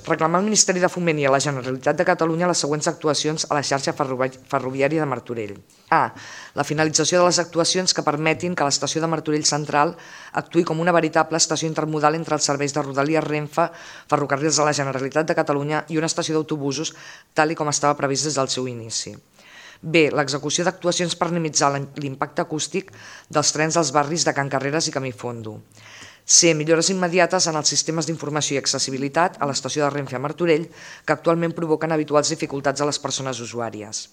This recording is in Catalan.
Reclamar al Ministeri de Foment i a la Generalitat de Catalunya les següents actuacions a la xarxa ferroviària de Martorell. A. La finalització de les actuacions que permetin que l'estació de Martorell Central actuï com una veritable estació intermodal entre els serveis de Rodalies Renfe, Ferrocarrils de la Generalitat de Catalunya i una estació d'autobusos, tal com estava previst des del seu inici. B. L'execució d'actuacions per minimitzar l'impacte acústic dels trens dels barris de Can Carreres i Camí Fondo. C. Millores immediates en els sistemes d'informació i accessibilitat a l'estació de Renfe a Martorell, que actualment provoquen habituals dificultats a les persones usuàries.